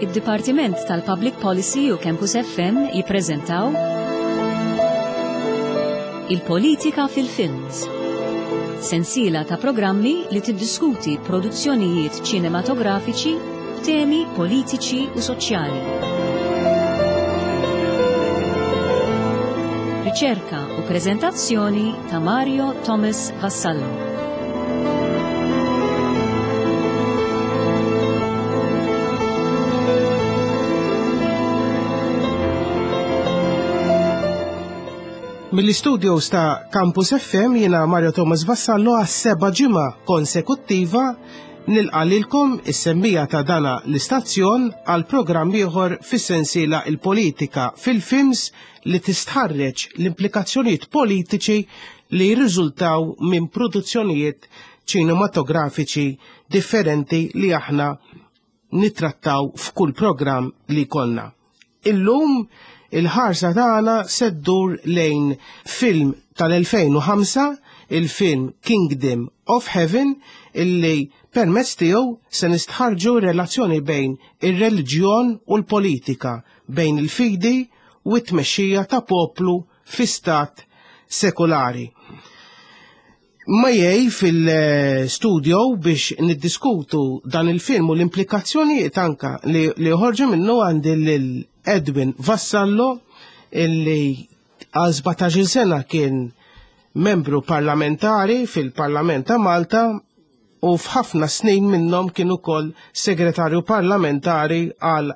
Id-Dipartiment tal-Public Policy u Campus FM jippreżentaw Il-Politika fil-Films. Sensiela ta' programmi li tiddiskuti produzzjonijiet ċinematografiċi b'temi politiċi u soċjali. Riċerka u preżentazzjoni ta' Mario Thomas Vassallo. Mill-istudios ta' Campus FM jiena Mario Thomas Vassallo għas seba ġimgħa konsekuttiva nilqa' lilkom is-semmija ta' dana l-istazzjon għal programm ieħor fis-sensiela il-politika fil-films li tistħarreġ l-implikazzjonijiet politiċi li jirriżultaw minn produzzjonijiet ċinematografiċi differenti li aħna nittrattaw f'kull programm li jkollna. Illum il-ħarsa tagħna se ddur lejn film tal-2005, il-film Kingdom of Heaven, illi permezz tiegħu se nistħarġu relazzjoni bejn ir-reliġjon u l-politika, bejn il-fidi u t-tmexxija ta' poplu fi stat sekulari. Majej fil-studio biex niddiskutu dan il-film u l-implikazzjonijiet anka li joħorġu minnu għandi lil Edwin Vassallo illi għal 17 sena kien membru parlamentari fil-Parlament ta' Malta u f'ħafna snin minnhom kien ukoll segretarju parlamentari għal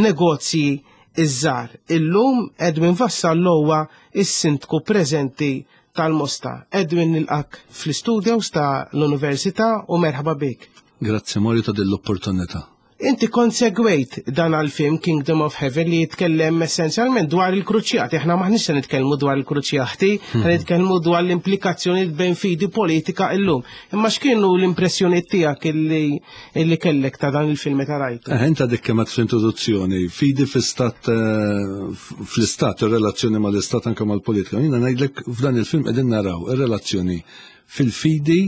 negozji iż-żgħar. Illum Edwin Vassallo huwa s-sindku preżenti tal-Mosta. Edwin nilqak fl-istudios ta' l-Università u merħba bik. Grazzi Mario ta' din l-opportunità. Inti kont segwejt dan għal-film Kingdom of Heaven li jitkellem essenzjalment dwar il-kruċjati. Aħna maħniex se nitkellmu dwar il-kruċjati, se nitkellmu dwar l-implikazzjoni bejn fidi politika illum. Imma x'kienu l-impressjoni tiegħek illi, illi kellek ta' dan il-film meta rajtu? Eh, inta dik kemm fl-introduzzjoni, fidi fl-istat eh, fl-istat, ir-relazzjoni mal-istat anke mal-politika. Jiena ngħidlek f'dan il-film qegħdin naraw ir-relazzjoni fil-fidi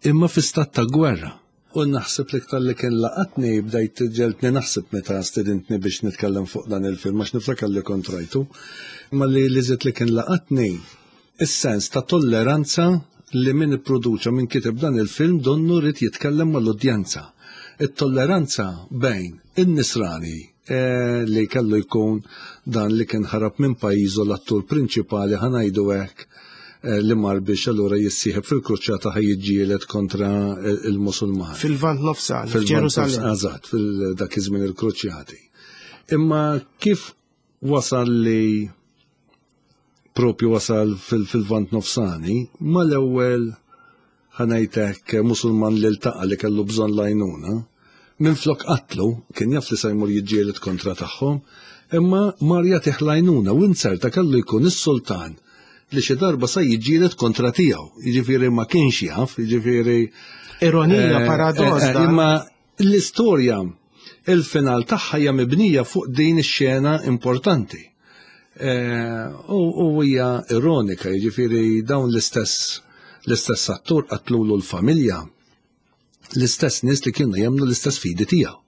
imma fi stat ta' gwerra. U naħseb li iktar li kien laqatni bdejt ġeltni naħseb meta stedintni biex nitkellem fuq dan il-film għax niftakar li kont rajtu. Ma li li żied li kien laqatni is-sens ta' tolleranza li min ipproduċa min kiteb dan il-film donnu rrid jitkellem mal-udjenza. It-tolleranza bejn in-nisrani eh, li kellu jkun dan li kien ħarab minn pajjiżu l-attur prinċipali ħa ngħidu hekk eh, li mar biex allura jissieħeb fil-kruċjata ħa jiġġieled kontra il-Musulmani. Fil-Lvant Nofsani, fil-Ġerusalemm. Eżatt, fil-dak iż-żmien il-kruċjati. Imma kif wasal li propju wasal fil-Lvant Nofsani, mal-ewwel ħa ngħidlek Musulman li ltaqa' li kellu bżonn l-għajnuna, minflok qatlu, kien jaf li se jmur jiġġieled kontra tagħhom, imma mar jagħtih l-għajnuna u inzerta kellu jkun is-sultan li xi darba sa jiġġieled kontra tiegħu. Jiġifieri ma kienx jaf, jiġifieri Ironija, paradoss. Imma l-istorja il-final tagħha hija mibnija fuq din ix-xena importanti. U hija ironika, jiġifieri dawn l-istess l-istess attur qatlulu l-familja, l-istess nies li kienu jemmnu l-istess fidi tiegħu.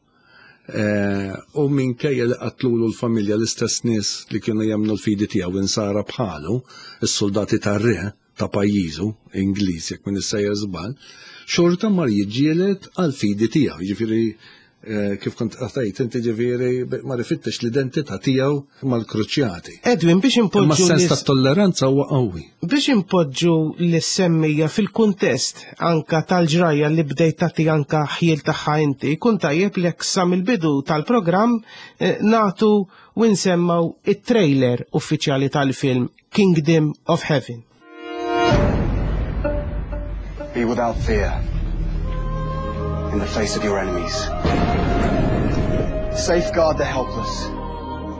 U minkejja li qatlulu l-familja l-istess nies li kienu jemmnu l-fidi tiegħu insara bħalu, is-soldati tar-re ta' pajjiżu, Ingliż jekk m'iniex sejjer żball, xorta mar jiġġieled għal-fidi tiegħu. Jiġifieri kif kont għatajt inti ġifieri ma rifittex l-identità tiegħu mal-kruċjati. Edwin biex impoġġu. Imma sens ta' tolleranza huwa qawwi. Biex impoġġu l-semmija fil-kuntest anka tal-ġrajja li bdejt tagħti anka ħjiel tagħha inti, kun tajjeb li sa mill-bidu tal-programm nagħtu u nsemmaw it-trailer uffiċjali tal-film Kingdom of Heaven. Be without fear in the face of your enemies. Safeguard the helpless,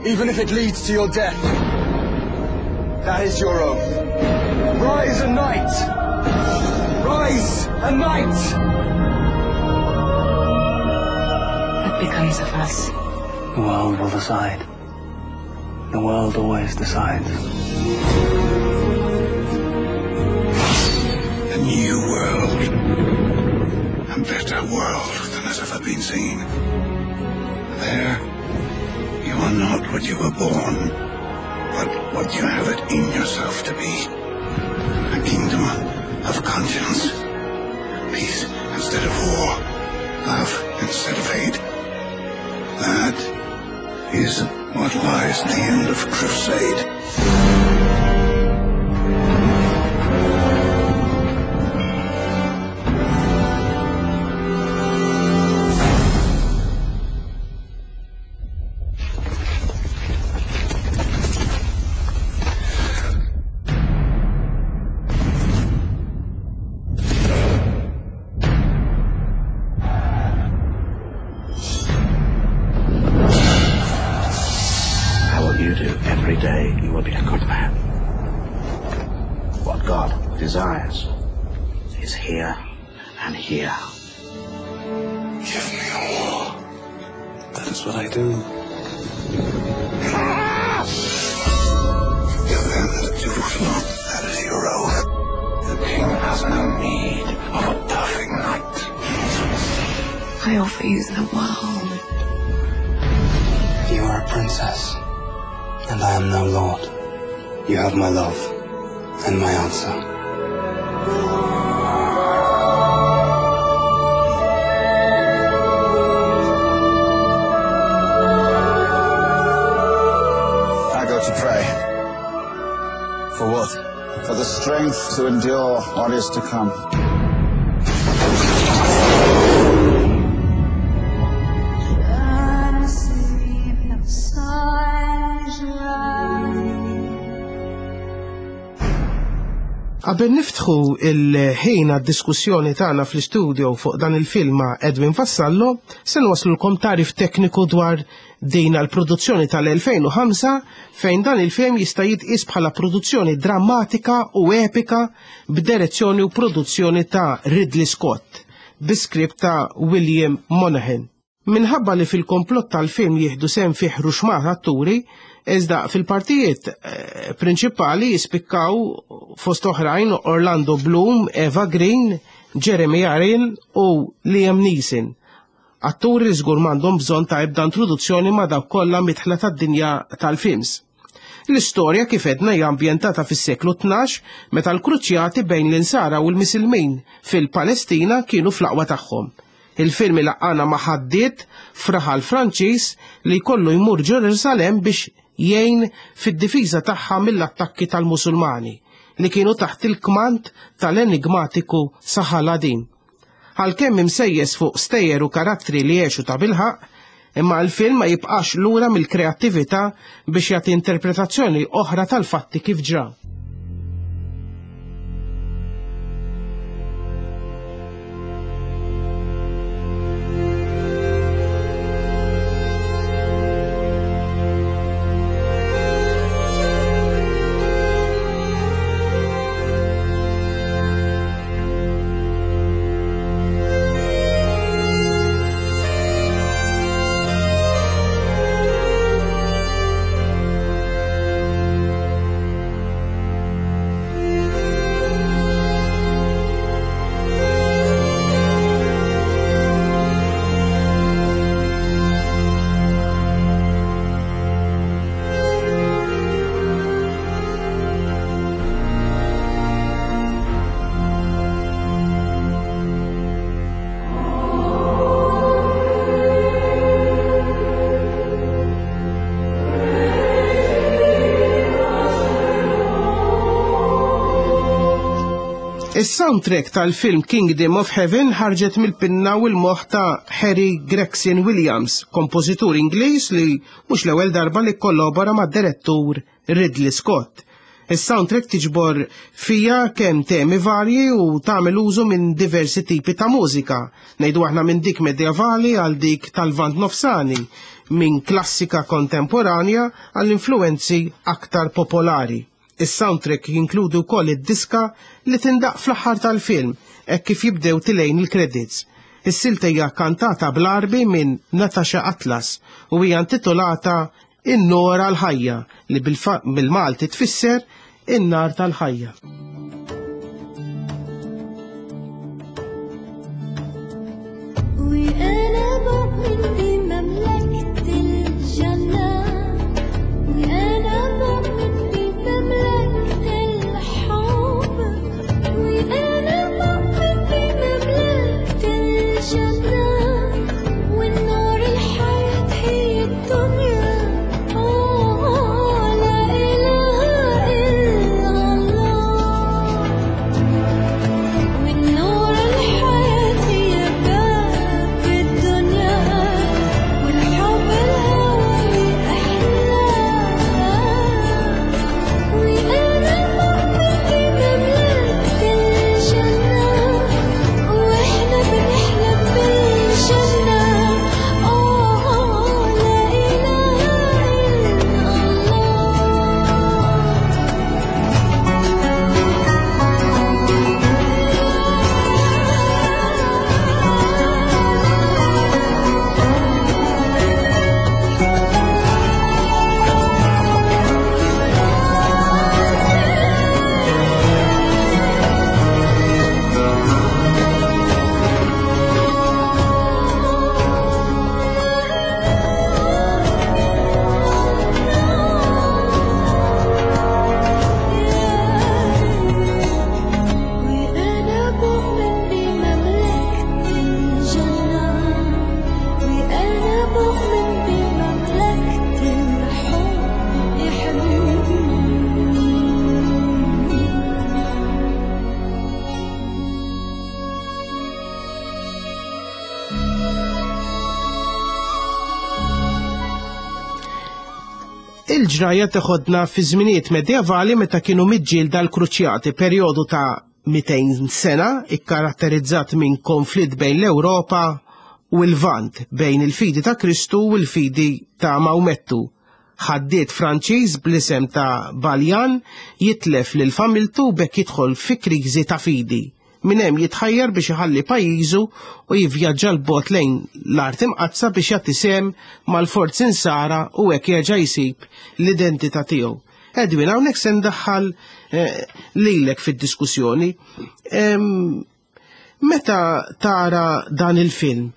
even if it leads to your death. That is your oath. Rise and knight! Rise and knight! What becomes of us? The world will decide. The world always decides. A new world. A better world than has ever been seen. There, you are not what you were born, but what you have it in yourself to be. A kingdom of conscience. Peace instead of war. Love instead of hate. That is what lies at the end of crusade. You do every day, you will be a good man. What God desires is here and here. Give me a war. That is what I do. Defend Jerusalem. That is your oath. The king has no need of a perfect knight. I offer you the world. You are a princess, and I am no lord. You have my love and my answer. I go to pray. For what? For the strength to endure what is to come. Qabel niftħu il-ħin għad-diskussjoni tagħna fl-istudio fuq dan il-film ma' Edwin Vassallo, se nwaslulkom tagħrif tekniku dwar din għall-produzzjoni tal-2005 fejn dan il-film jista' jitqies bħala produzzjoni drammatika u epika b'direzzjoni u produzzjoni ta' Ridley Scott bi script ta' William Monahan. Minħabba li fil-komplott tal-film jieħdu sehem fih ruxmata atturi, iżda fil-partijiet prinċipali jispikkaw fost oħrajn Orlando Bloom, Eva Green, Jeremy Irons u Liam Neeson. Atturi li żgur m'għandhom bżonn ta' ebda introduzzjoni ma' dawk kollha midħla tad-dinja tal-films. L-istorja kif għedna hija ambjentata fis-seklu 12 meta l-kruċjati bejn l-Insara u l-Misilmin fil-Palestina kienu fl-aqwa tagħhom. Il-film ilaqqagħna ma' ħaddied f'raħal Franċiż li jkollu jmur Ġerusalemm biex jgħin fid-difiża tagħha mill-attakki tal-Musulmani li kienu taħt il-kmand tal-enigmatiku Saladin. Għalkemm imsejjes fuq stejjer u karattri li għexu ta' bilħaqq, imma l-film ma jibqax lura mill-kreattività biex jagħti interpretazzjoni oħra tal-fatti kif ġraw. Is-soundtrack tal-film Kingdom of Heaven ħarġet mill-pinna u l-moħħ ta' Harry Gregson Williams, kompożitur Ingliż li mhux l-ewwel darba li kkollabora mad-direttur Ridley Scott. Is-soundtrack tiġbor fija kemm temi varji u tagħmel użu minn diversi tipi ta' mużika, ngħidu aħna minn dik medjevali għal dik tal-Lvant Nofsani, minn klassika kontemporanja għal influwenzi aktar popolari. Is-soundtrack jinkludi wkoll id-diska li tindaqq fl-aħħar tal-film hekk kif jibdew tilgħin il-credits. Is-silta hija kantata bl-Għarbi minn Natasha Atlas u hija intitolata In-Nora l-Ħajja li bil-Malti tfisser in-nar tal-ħajja. وأنا مؤمن بمملكتك. Il-ġrajja teħodna fi żminijiet medjevali meta kienu miġġielda l-Kruċjati, perjodu ta' 200 sena ikkaratterizzat minn konflitt bejn l-Ewropa u l-Lvant, bejn il-fidi ta' Kristu u l-fidi ta' Mawmettu. Ħaddied Franċiż bl-isem ta' Baljan jitlef lil familtu u b'hekk jidħol fi kriżi ta' fidi. Minn hemm jitħajjar biex iħalli pajjiżu u jivvjaġġa 'l bogħod lejn l-Art Imqaddsa biex jagħti sehem mal-forzi Nsara u hekk jerġa' jsib l-identità tiegħu. Edwin, hawnhekk se ndaħħal eh, lilek fid-diskussjoni. Meta tara dan il-film,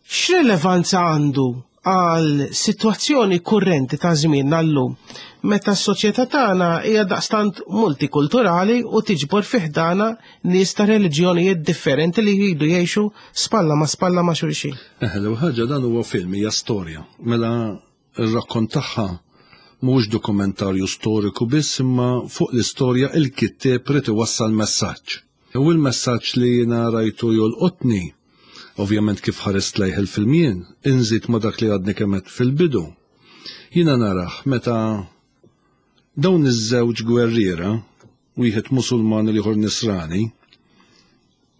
X'relevanza għandu għal sitwazzjoni kurrenti ta' żmienna llum, meta s-soċjetà tagħna hija daqstant multikulturali u tiġbor fi ħdanha nies ta' reliġjonijiet differenti li jridu jgħixu spalla ma' spalla ma' xulxin? Eħe, l-ewwel ħaġa dan huwa film, hija storja. Mela r-rakkont tagħha mhuwiex dokumentarju storiku biss imma fuq l-istorja il-kittieb ried iwassal messaġġ. U l-messaġġ li jiena rajtu jolqotni, ovvjament kif ħarist lejh il-film jien, inżid ma' dak li għadni kemm għedt fil-bidu. Jiena narah meta dawn iż-żewġ gwerriera, wieħed Musulman u l-ieħor Nisrani,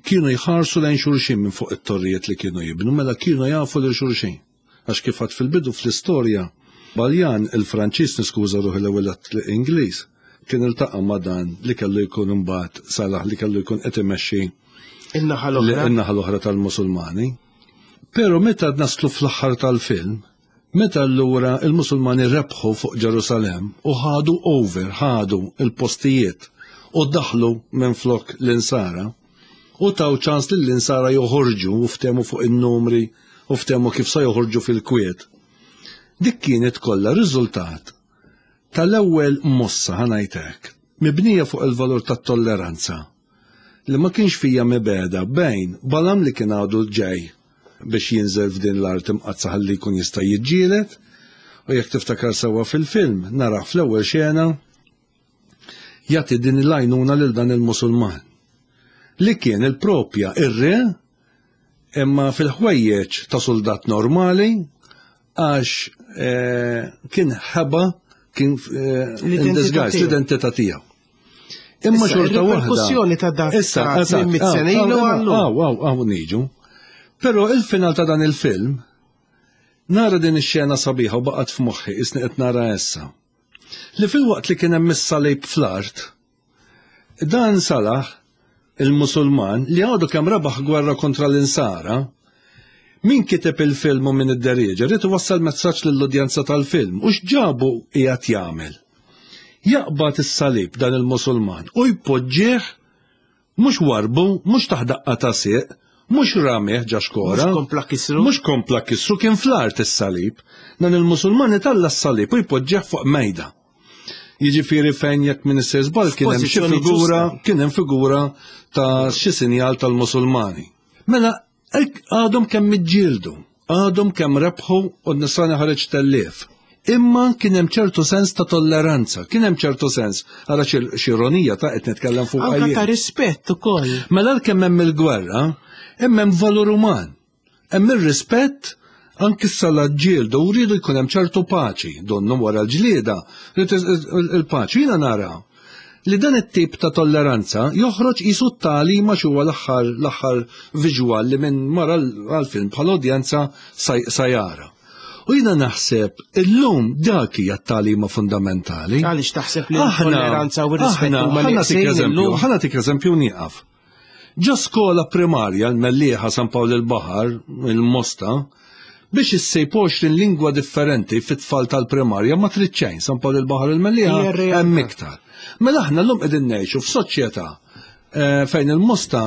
kienu jħarsu lejn xulxin minn fuq it-torrijiet li kienu jibnu, mela kienu jafu lil xulxin. Għax kif għad fil-bidu fl-istorja, Baljan, il-Franċiż, niskuża ruħi l-ewwel għedt Ingliż, kien iltaqa' ma' dan li kellu jkun imbagħad Salah li kellu jkun qed imexxi in-naħa l-oħra. In-naħa l-oħra tal-Musulmani. Però meta naslu fl-aħħar tal-film, meta allura il-Musulmani rebħu fuq Ġerusalemm u ħadu over, ħadu il-postijiet u daħlu minflok l-insara, u taw ċans lill-insara joħorġu u ftehmu fuq in-numri u ftehmu kif sa joħorġu fil-kwiet. Dik kienet kollha riżultat tal-ewwel mossa ħa ngħid hekk, mibnija fuq il-valur tat-tolleranza li ma kienx fija mibegħda bejn Balam li kien għadu ġej biex jinżel f'din l-art imqaddsa ħalli jkun jista' jiġġieled u jekk tiftakar sewwa fil-film narah fl-ewwel xena jagħti din l-għajnuna lil dan il-Musulman li kien il-propja ir-re imma fil-ħwejjeġ ta' soldat normali għax eh, kien ħeba kien eh, in disguise l-identità tiegħu. Imma xorta waħda. Perkussjoni ta' dak Issa, sena ilu għallu. Aw, aw, aw, niġu. Però il-final ta' dan il-film, nara din ix-xena sabiħa u baqgħet f'moħħi isni qed nara issa. Li filwaqt li kien hemm is-salib fl-art, dan Salah, il-Musulman, li għadu kemm rebaħ gwerra kontra l-Insara, min kiteb il-film u min idderieġa ried iwassal messaġġ lill-udjenza tal-film u x'ġabu qiegħed jagħmel. Jaqbad is-salib dan il-Musulman u jpoġġih Mhux warrbu, mhux tah daqqa ta' sieq, mhux ramih ġa xkora. Mhux kompla kisru. Mhux kompla kisru, kien fl-art is-salib. Dan il-Musulman italla' s-salib u jpoġġih fuq mejda. Jiġifieri fejn jekk min issir żball kien hemm xi figura, kien hemm figura ta' xi sinjal tal-Musulmani. Mela Għadhom kemm iġġieldu, għadhom kemm rebħu u n-Nisrani ħareġ tellief. Imma kien hemm ċertu sens ta' tolleranza, kien hemm ċertu sens, ara x'ironija ta' qed nitkellem fuq Anka ta' rispett ukoll. Mela kemm hemm il-gwerra, hemm hemm valur uman. Hemm ir-rispett anki s-sala ġġieldu u rridu jkun hemm ċertu paċi, donnu wara l-ġlieda, il-paċi. Jiena nara li dan it-tip ta' tolleranza joħroġ qisu t-tagħlim għax huwa l-aħħar l-aħħar visual li min mar għall-film bħala udjenza sa jara. U jiena naħseb illum dak hija t-tagħlima fundamentali. Għaliex taħseb li l-tolleranza u r-rispett huma eżempju, ħa nagħtik eżempju nieqaf. Ġo skola primarja l-Mellieħa San Pawl il-Baħar, il-Mosta, biex issib 20 lingwa differenti fit-tfal tal-primarja ma trid xejn, San Pawl il-Baħar il-Mellieħa hemm iktar. Mela aħna llum qegħdin ngħixu f'soċjetà eh, fejn il-Mosta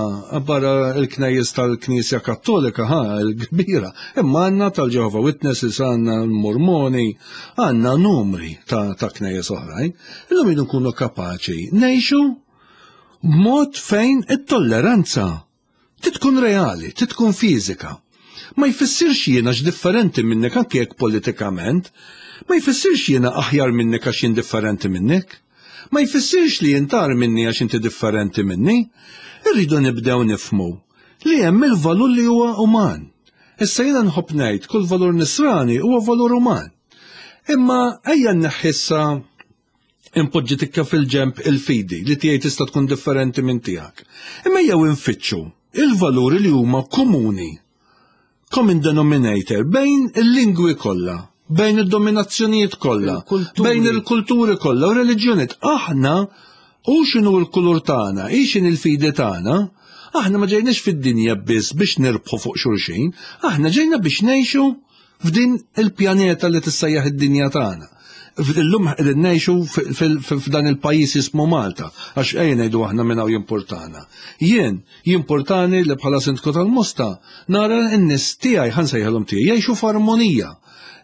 barra il-knejjes tal-Knisja Kattolika ħa l-kbira, imma għandna tal-Jehovah Witnesses, għandna l-Mormoni, għandna numri ta' knejjes oħrajn. Illum jridu nkunu kapaċi ngħixu b'mod fejn it-tolleranza trid tkun reali, trid tkun fiżika. Ma jfissirx jiena differenti minnek anke jekk politikament, ma jfissirx jiena aħjar minnek għax jien differenti minnek, ma jfissirx li jintar minni għax inti differenti minni. Irridu nibdew nifmu li hemm il-valur li huwa uman. Issa jiena nħobb ngħid kull valur nisrani huwa valur uman. Imma ejja nneħħissa impoġġi tikka fil-ġemp il-fidi li tiegħi tista' tkun differenti minn tiegħek. Imma jew infittxu il-valuri li huma komuni, common denominator bejn il-lingwi kollha, bejn id-dominazzjonijiet kollha, bejn il-kulturi kollha u reliġjonijiet. Aħna u x'inhu l-kulur tagħna, hi x'inhi l-fidi tagħna, aħna ma ġejniex fid-dinja biss biex nirbħu fuq xulxin, aħna ġejna biex ngħixu f'din il-pjaneta li tissejjaħ id-dinja tagħna. Illum qegħdin ngħixu f'dan il-pajjiż jismu Malta, għax ejja ngħidu aħna minn hawn jimpurtana. Jien jimpurtani li bħala sindku tal-Mosta nara n-nies tiegħi ħa nsejħilhom tiegħi jgħixu f'armonija.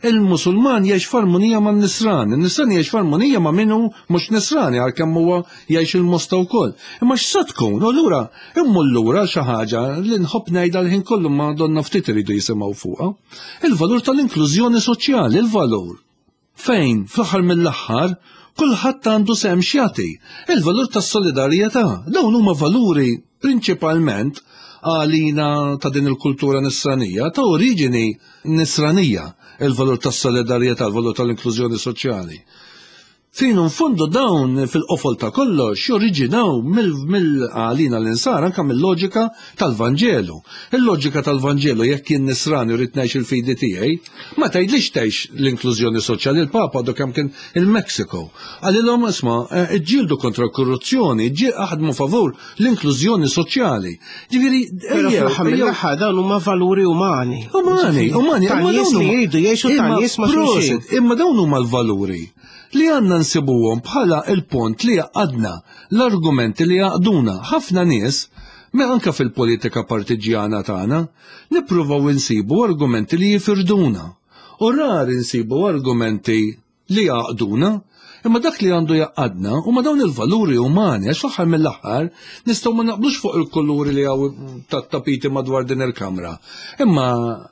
Il-Musulman jgħix f'armonija man-Nisrani, in-Nisrani jgħix f'armonija ma' min hu mhux Nisrani għalkemm huwa jgħix il-Mosta wkoll. Imma x'sa tkun? U allura immur lura xi ħaġa li nħobb ngħidha l-ħin kollu ma donna ftit iridu jisimgħu fuqha. Il-valur tal-inklużjoni soċjali, il-valur fejn fl-aħħar mill-aħħar kulħadd għandu sehem x'jagħti. Il-valur tas-solidarjetà, dawn huma valuri prinċipalment għalina ta' din il-kultura nisranija, ta' oriġini nisranija, il-valur tas-solidarjetà, il-valur tal-inklużjoni soċjali. Fin u nfondu dawn fil-qofol ta' kollox joriġinaw mill-għalina l-insara anke mill-loġika tal-Vanġelu. Il-loġika tal-Vanġelu jekk jien nisrani u rrid ngħix il-fidi tiegħi, ma tgħidlix tgħix l-inklużjoni soċjali il-Papa għadu kemm kien il-Mexico. Qalilhom isma' eh, iġġieldu kontra l-korruzzjoni, aħdmu favur l-inklużjoni soċjali. Ġifieri, fl-aħħar mill-aħħar dawn huma valuri umani. Umani, umani. Ta' nies li jridu jgħixu ta' nies ma' xulxin. Imma dawn huma l-valuri li għandna nsibuhom bħala il-pont li jgħaqqadna, l-argumenti li jgħaqqduna. Ħafna nies, me anke fil-politika partiġġjana tagħna, nippruvaw insibu argumenti li jifirduna. U rari nsibu argumenti li jgħaqqduna. Imma dak li għandu jgħaqqadna huma dawn il-valuri umani, għax fl-aħħar mill-aħħar nistgħu ma naqblux fuq il-kuluri li hawn tat-tapiti madwar din il-kamra. Imma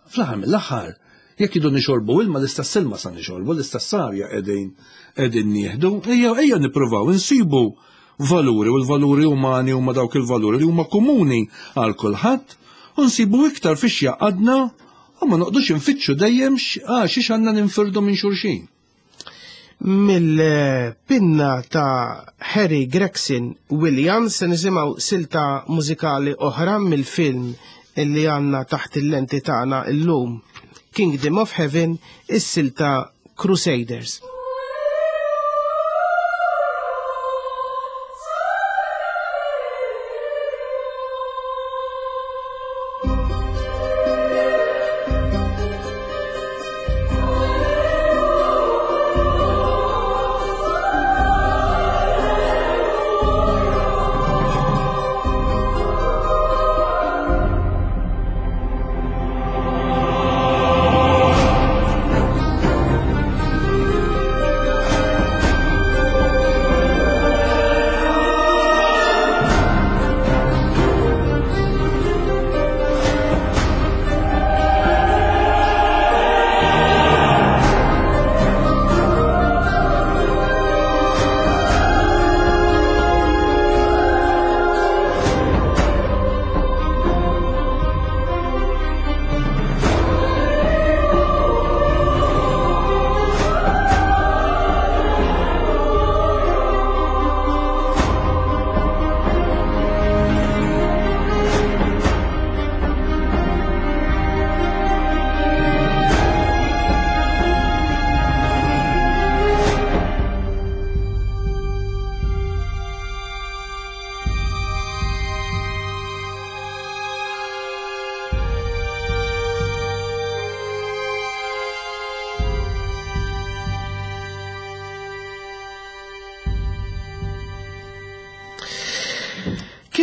fl-aħħar mill-aħħar Jekk idu nixorbu ilma l-istess ilma sa nixorbu, l-istess arja qegħdin qegħdin nieħdu. Ejja ejja nippruvaw insibu valuri u l-valuri umani huma dawk il-valuri li huma komuni għal kulħadd u nsibu iktar fiex jaqadna u ma noqdux infittxu dejjem xiex għandna ninfirdu minn xulxin. Mill-pinna ta' Harry Gregson Williams se nisimgħu silta mużikali oħra mill-film illi għandna taħt il-lenti tagħna llum Kingdom of Heaven, is-silta Crusaders.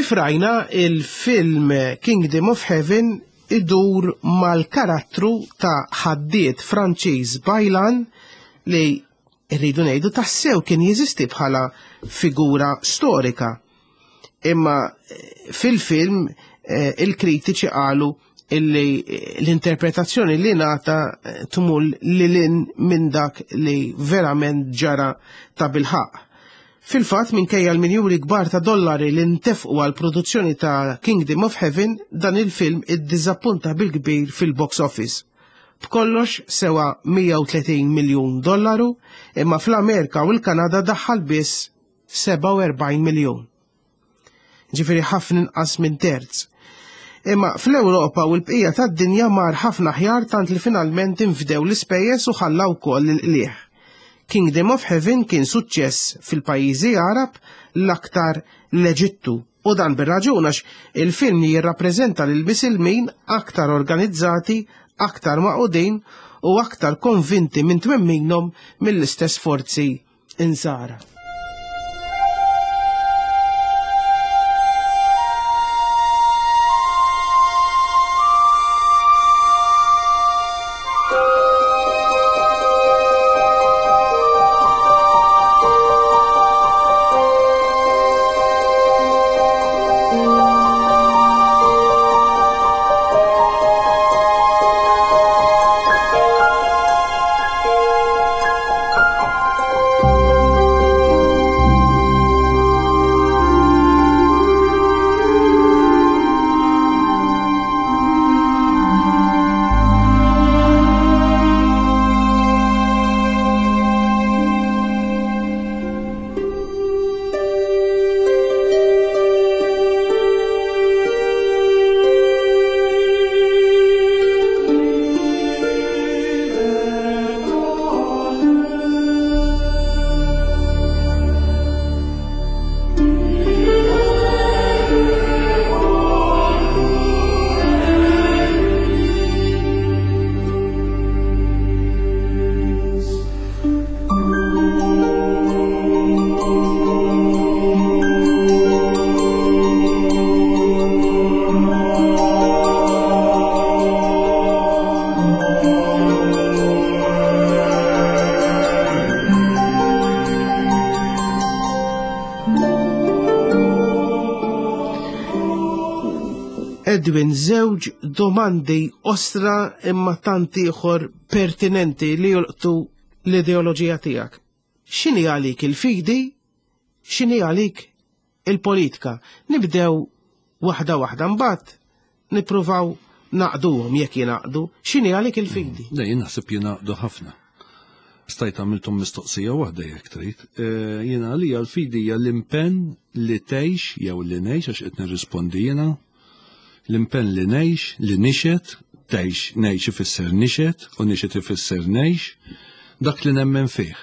Kif rajna il-film Kingdom of Heaven idur mal-karattru ta' ħaddied Franċiż Bajlan li rridu ngħidu tassew kien jeżisti bħala figura storika. Imma eh, fil-film eh, il-kritiċi qalu illi eh, l-interpretazzjoni li nata tmur lilin minn dak li verament ġara ta' bilħaq. Fil-fatt, minkejja l-miljuni kbar ta' dollari li ntefqu għall-produzzjoni ta' Kingdom of Heaven, dan il-film iddiżappunta bil-kbir fil-box office. B'kollox sewa 130 miljun dollaru, imma fl-Amerika u l-Kanada daħħal biss 47 miljun. Ġifieri ħafna inqas minn terz. Imma fl-Ewropa u l-bqija tad-dinja mar ħafna aħjar tant li finalment infdew l-ispejjeż u ħalla wkoll il-qligħ. Kingdom of Heaven kien suċċess fil-pajjiżi Għarab l-aktar l-Eġittu u dan bir-raġun għax il-film jirrappreżenta lil misilmin aktar organizzati, aktar magħqudin u aktar konvinti minn twemminhom mill-istess forzi insara. Edwin, żewġ domandi ostra imma tant ieħor pertinenti li jolqtu l-ideoloġija tiegħek. X'inhi għalik il-fidi? X'inhi għalik il-politika? Nibdew waħda waħda mbagħad nippruvaw naqduhom jekk jingħaqdu. X'inhi għalik il-fidi? Le, jien naħseb jingħaqdu ħafna. Stajt għamilthom mistoqsija waħda jekk trid. Eh, jiena għalija l-fidi hija l-impenn li tgħix jew li ngħix għax qed nirrispondi jiena. L-impenn li ngħix, li nixed, tgħix, ngħix ifisser nixed u nixed ifisser ngħix, dak li nemmen fih.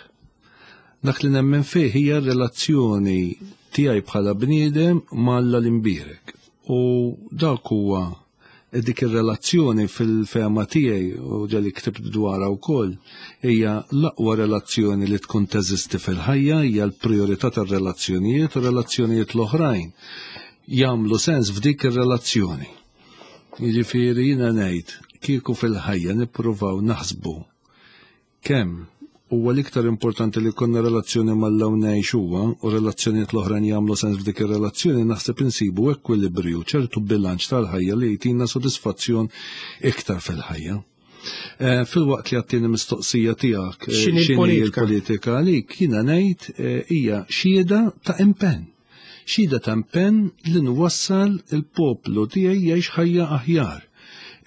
Dak li nemmen fih hija r-relazzjoni tiegħi bħala bniedem ma' Alla l-imbierek. U dak huwa dik ir-relazzjoni fil-fehma tiegħi u ġali ktibt dwarha wkoll hija l-aqwa relazzjoni li tkun teżisti fil-ħajja, hija l-prijorità tar-relazzjonijiet u relazzjonijiet l-oħrajn jagħmlu sens f'dik ir-relazzjoni. Jiġifieri jiena ngħid kieku fil-ħajja nippruvaw naħsbu Kemm huwa l-iktar importanti li jkollna relazzjoni m'Alla u ngħix huwa, u relazzjonijiet l-oħrajn jagħmlu sens f'dik ir-relazzjoni, naħseb insibu ekwilibriju, ċertu bilanċ tal-ħajja li jtina sodisfazzjon iktar fil-ħajja. Eh, fil-waqt li għattini mistoqsija tiegħek eh, x'inhi l-politika għalik, jiena ngħid eh, hija xhieda ta' impenn. Xhieda ta' impenn li nwassal il-poplu tiegħi jgħix ħajja aħjar.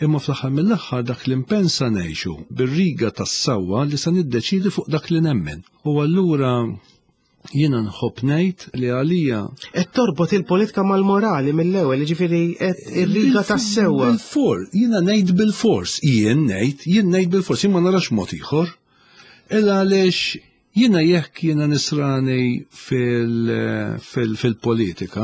Imma fl-aħħar mill-aħħar dak l-impenn sa ngħixu bir-riga tas-sewwa li sa niddeċiedi fuq dak li nemmen. U allura jiena nħobb ngħid li għalija. Qed torbot il-politika mal-morali mill-ewwel, jiġifieri qed ir-riga tas-sewwa. Bil-for, jiena ngħid bil-fors, jien ngħid, jien ngħid bil-fors, jien ma narax mod ieħor. Illa għaliex Jiena jekk jiena nisrani fil-politika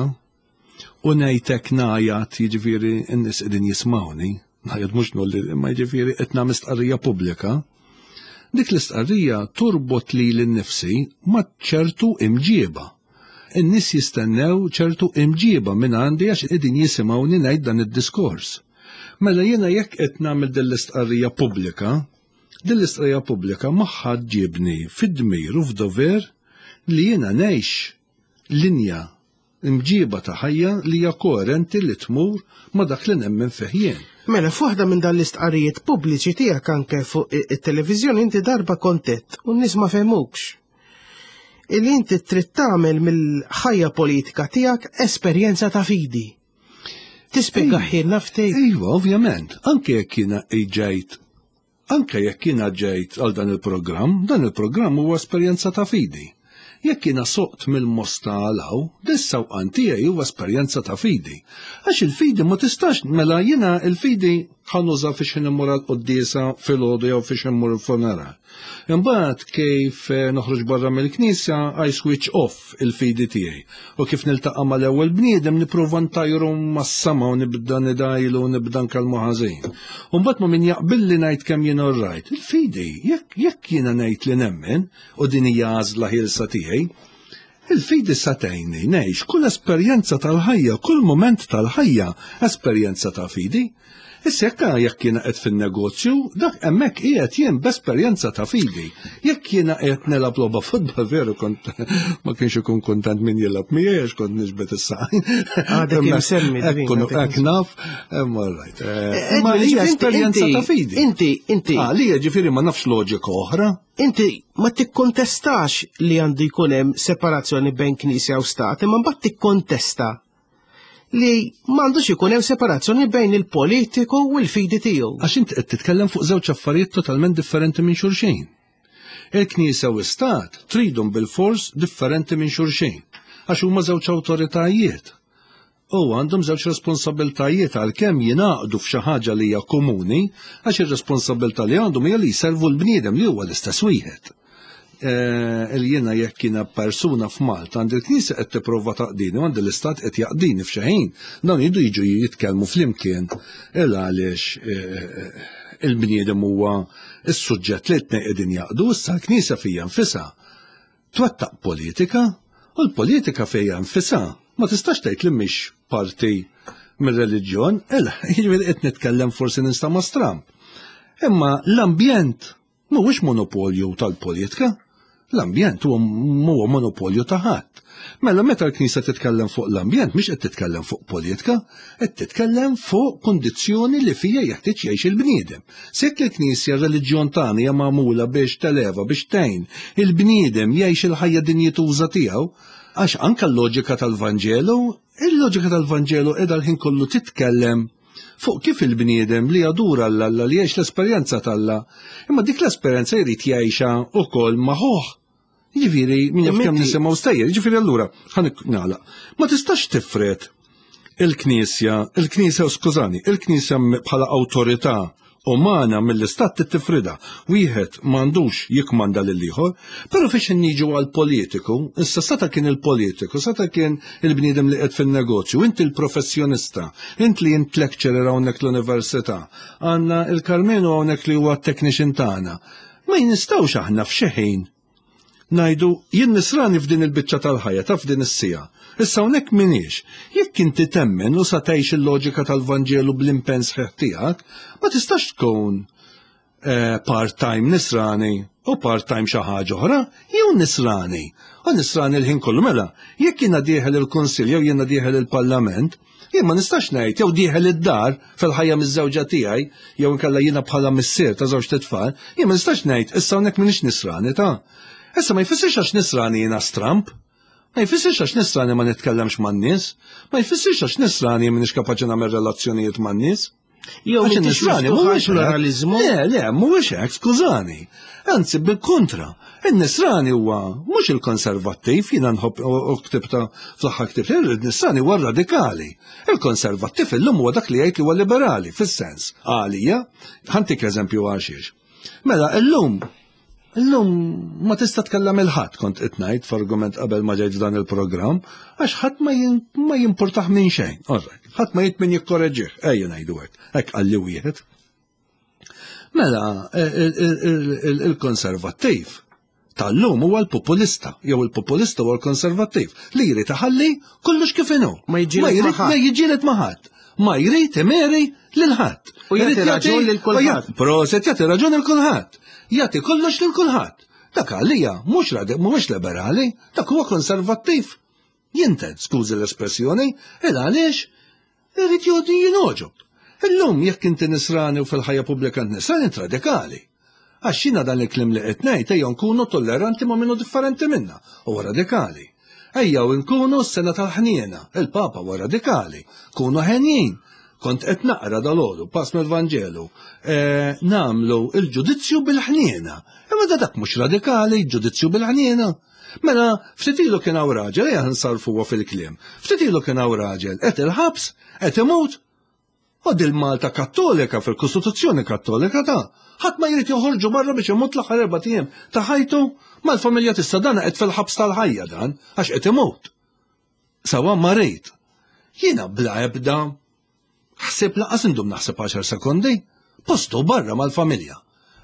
u ngħidlek ngħajat jiġifieri n-nies qegħdin jismawni, ngħajat mhux nolli imma jiġifieri qed nagħmel stqarrija pubblika, dik l-istqarrija turbot lili nnifsi ma' ċertu imġieba. In-nies jistennew ċertu imġieba minn għandi għax qegħdin jisimgħuni ngħid dan id-diskors. Mela jiena jekk qed nagħmel din l-istqarrija pubblika, Din l-istqarrija pubblika magħha ġġibni fid-dmir u f'dover li jiena ngħix linja imġiba ta' ħajja li hija koerenti li tmur ma' dak li nemmen fih jien. Mela, f'waħda minn dan l-istqarrijiet pubbliċi tiegħek anke fuq it-televiżjoni inti darba kont għedt u n-nies ma fehmukx. Illi inti trid tagħmel mill-ħajja politika tiegħek esperjenza ta' fidi. Tispjega ħilna ftit. Iva, ovvjament, anke jekk jiena ġejt Anke jekk jiena ġejt għal dan il-programm, dan il-programm huwa esperjenza ta' fidi. Jekk jiena soqt mill-Mosta għal hawn, dis-sewqan tiegħi huwa esperjenza ta' fidi. Għax il-fidi ma tistax, mela jiena il-fidi ħa nuża fiex immur għall-quddiesa filgħodu jew fiex immur il-funeral. Imbagħad kif eh, noħroġ barra mill-knisja I switch off il-fidi tiegħi. U kif niltaqa' mal-ewwel bniedem nipprova ntajru mas-sama u nibda nidajlu u nibda nkellmu ħażin. U mbagħad ma min jaqbilli ngħid kemm jien orrajt. Il-fidi, jekk jekk jiena ngħid li nemmen u din hija għażla ħielsa tiegħi, il-fidi sa tgħinni ngħix kull esperjenza tal-ħajja, kull mument tal-ħajja esperjenza ta' fidi. Issa jekk jekk jiena qed fin-negozju, dak hemmhekk qiegħed jien b'esperjenza ta' fidi. Jekk jiena qiegħed nilgħab logħba futbol veru kont ma kienx ikun kuntent min jilgħab miegħi għax kont niġbed is-saqajn. Għadek imsemmi. Hekk naf, imma rajt. Eh, ma hija esperjenza ta' fidi. Inti, inti. Ah, li ġifieri ma nafx loġika oħra. Inti ma tikkontestax li għandu jkun hemm separazzjoni bejn Knisja u Stat, imma mbagħad tikkontesta li m'għandux ikun hemm separazzjoni bejn il-politiku u l-fidi tiegħu. Għax inti qed titkellem fuq żewġ affarijiet totalment differenti minn xulxin. Il-Knisja u s-Stat tridhom bil-fors differenti minn xulxin, għax huma żewġ awtoritajiet. U għandhom żewġ responsabiltajiet għalkemm jingħaqdu f'xi ħaġa li hija komuni, għax ir-responsabilità li għandhom hija li jservu l-bniedem li huwa l-istess wieħed. Eh, il jiena jekk jiena persuna f'Malta għandi l-Knisja qed tipprova taqdini u għandi l-Istat qed jaqdini f'xi ħin, dawn jridu jiġu jitkellmu flimkien il għaliex eh, il-bniedem huwa s-suġġett li t qegħdin jaqdu, issa l-Knisja fija nfisha twettaq politika u l-politika fija nfisha ma tistax tgħid li mhix parti mir-reliġjon, jiġifieri qed nitkellem forsi nista' ma' stramb. Imma l-ambjent Mhuwiex monopolju tal-politika. L-ambjent huwa mhuwa monopolju ta' ħadd. Mela meta l-Knisja titkellem fuq l-ambjent mhix qed titkellem fuq politika, qed titkellem fuq kundizzjoni li fija jeħtieġ jgħix il-bniedem. Sekk il-Knisja r-reliġjon tagħna hija magħmula biex televa biex tgħin il-bniedem jgħix il-ħajja dinjituża tiegħu, għax anke l-loġika tal-Vanġelu, il-loġika tal-Vanġelu qiegħda l-ħin kollu titkellem fuq kif il-bniedem li jadura 'l Alla li jgħix l-esperjenza t'Alla, imma dik l-esperjenza jrid jgħixha wkoll ma' ħuh. Jiġifieri min jaf kemm nisimgħu stejjer, jiġifieri allura ħa nagħlaq. Ma tistax tifred il-Knisja, il-Knisja skużani, il-Knisja bħala awtorità umana mill-istat tittifrida. Wieħed m'għandux jikmanda lil ieħor, però fiex niġu għal politiku, issa sata kien il-politiku, sata kien il-bniedem li qed fin-negozju, inti l-professjonista, int li int lecturer hawnhekk l-università, għandna il-Karmenu hawnhekk li huwa technician tagħna. Ma jinistgħux aħna f'xi ħin Ngħidu, jien nisrani f'din il-biċċa tal-ħajja ta' f'din is-siegħa. Issa hawnhekk m'iniex. Jekk inti temmen u sa tgħix il-loġika tal-Vanġelu bl-impenn sħiħ tiegħek, ma tistax tkun eh, part-time nisrani u part-time xi ħaġa oħra, jew nisrani. U nisrani l-ħin kollu mela, jekk jiena dieħel il-Kunsill jew jiena dieħel il-Parlament, Jien ma nistax ngħid jew dieħel id-dar fil-ħajja miż-żewġa tiegħi jew inkella jiena bħala missier ta' żewġ titfal, jien ma nistax ngħid issa hawnhekk m'iniex nisrani ta'. Issa ma jfissirx għax nisrani jiena stramp. Ma jfissirx għax nisrani ma nitkellemx man-nies. Ma jfissirx għax nisrani m'iniex kapaċi nagħmel relazzjonijiet man-nies. Jew Għax in-nisrani mhuwiex pluralizmu. Le, le, mhuwiex hekk, skużani. Anzi, bil-kontra, in-nisrani huwa mhux il-konservattiv, jiena nħobb u ktibta fl-aħħar ktibt, il-nisrani huwa radikali. Il-konservattiv illum huwa dak li jgħid li huwa liberali, fis-sens. Għalija, ħantik eżempju għaxiex. Mela, illum Illum ma tista' tkellem il-ħadd kont qed ngħid f'argument qabel ma ġejt f'dan il-programm, għax ħadd ma jimpurtah minn xejn. Alright, ħadd ma jrid min jikkoreġih, ejja ngħidu hekk, hekk qalli wieħed. Mela, il-konservattiv tal-lum huwa l-populista, jew il-populista huwa l-konservattiv, li jrid iħalli kollox kif inhu. Ma jiġġieled ma' ħadd. Ma jrid imeri lil ħadd. U jagħti raġun lil kulħadd. Proset jagħti raġun lil kulħadd. Jagħti kollox lil kulħadd. Dak għalija mhux mhuwiex liberali, dak huwa konservattiv. Jinten, skużi l-espressjoni, il għaliex irid jgħodi jinoġob. Illum jekk inti nisrani u fil-ħajja pubblika nisrani int radikali. Għax jiena dan il-kliem li qed ngħid ejja nkunu tolleranti ma' minnu differenti minna, huwa radikali. Ejja u nkunu s-sena tal-ħniena, il-Papa huwa radikali. Kunu ħenjin. Kont qed naqra dalgħodu pass mill-Vanġelu. Eh, nagħmlu il-ġudizzju bil-ħniena. Imma da dak mhux radikali, ġudizzju bil-ħniena. Mela, ftit ilu kien hawn raġel, ejja nsarfuha fil-kliem. Ftit ilu kien hawn raġel, qed il-ħabs, qed imut, U dil-Malta Kattolika fil-Kostituzzjoni Kattolika ta' ħadd ma jrid joħorġu barra biex imut l-aħħar erba' ijiem ta' ħajtu mal-familja tista' dan qed fil-ħabs tal-ħajja dan għax qed imut. Sawa ma rejt. Jiena bla ebda ħsieb laqas indum naħseb 10 sekondi, postu barra mal-familja.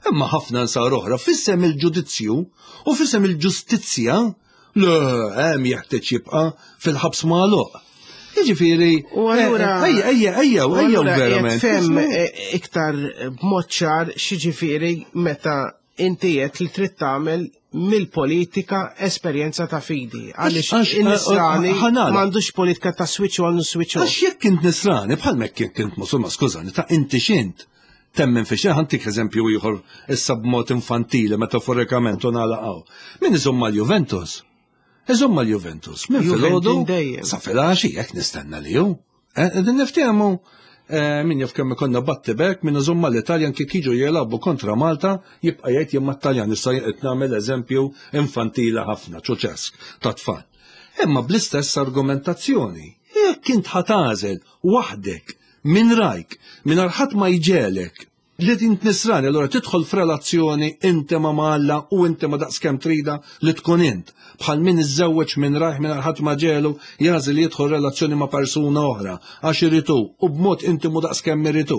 Imma ħafna nsar oħra fissem il-ġudizzju u fissem il-ġustizzja le hemm jeħtieġ jibqa' fil-ħabs magħluq. Jiġifieri, U allura eh, ejja, ejja, ejja, ejja verament. Fem eh, iktar b'mod ċar x'jiġifieri meta inti qed li trid tagħmel mill-politika esperjenza ta' fidi. Għaliex in-nisrani m'għandux politika ta' switch on u switch off. Għax jekk int nisrani, bħal mekk jekk int musulman, skużani, ta' inti xint temmen fi xejn ħantik eżempju ieħor issa b'mod infantili metaforikament u nagħlaqgħu. Min iżomm mal-Juventus? Iżomm mal-Juventus. Min filgħodu sa filgħaxi jekk nistenna li hu. Eh, qegħdin niftehmu eh, min jaf kemm ikonna batti bek min iżomm mal-Italjan kif jiġu jilagħbu kontra Malta jibqa' jgħid jien mat-Taljan issa qed nagħmel eżempju infantili ħafna ċuċesk ta' tfal. Imma bl-istess argumentazzjoni, jekk int ħatażel waħdek minn rajk, minn ħadd ma jġelek li int nisrani, allura tidħol f'relazzjoni intima ma' Alla u intima daqskemm trida li tkun int. Bħal min iżżewweġ minn rajh minn ħadd ma ġelu jażel jidħol relazzjoni ma' persuna oħra għax iritu u b'mod intimu daqskemm iritu.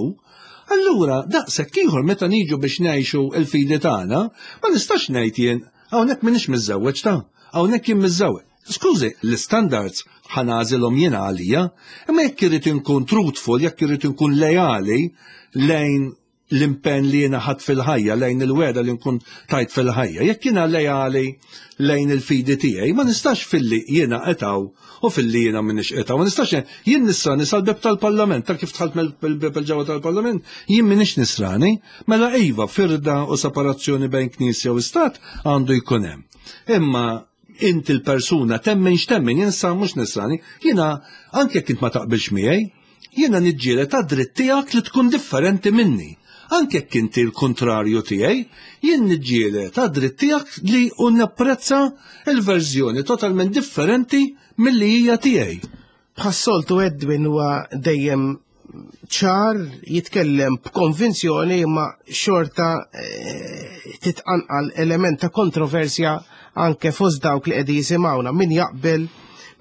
Allura, daqshekk ieħor meta niġu biex ngħixu l-fidi tagħna, ma nistax ngħid jien hawnhekk m'iniex miżżewweġ ta' hawnhekk jien miżżewweġ. Skużi, l-istandards ħa nagħżilhom jiena għalija, imma jekk irrid inkun truthful, jekk irrid inkun lejali lejn l-impenn li jiena ħadd fil-ħajja, lejn il-weda li nkun tajt fil-ħajja. Jekk jiena lejali lejn il-fidi tiegħi, ma nistax filli jiena qetaw u filli jiena m'iniex qetaw. Ma nistax jien nisrani sal-beb tal-Parlament, ta' kif dħalt mill-beb il-ġewwa tal-Parlament, jien m'iniex nisrani, mela iva firda u separazzjoni bejn Knisja u Stat għandu jkun hemm. Imma inti l-persuna temmen x'temmen jien sa mhux nisrani, jiena anke jekk int ma taqbilx miegħi, jiena niġġieled għad-dritt tiegħek li tkun differenti minni. Anke jekk inti l-kontrarju tiegħi, jien niġġieled għad-dritt tiegħek li u napprezza l-verżjoni totalment differenti milli hija tiegħi. Bħas-soltu Edwin huwa dejjem ċar, jitkellem b'konvinzjoni imma xorta eh, titqanqal element ta' kontroversja anke fost dawk li qegħdin jisimgħuna min jaqbel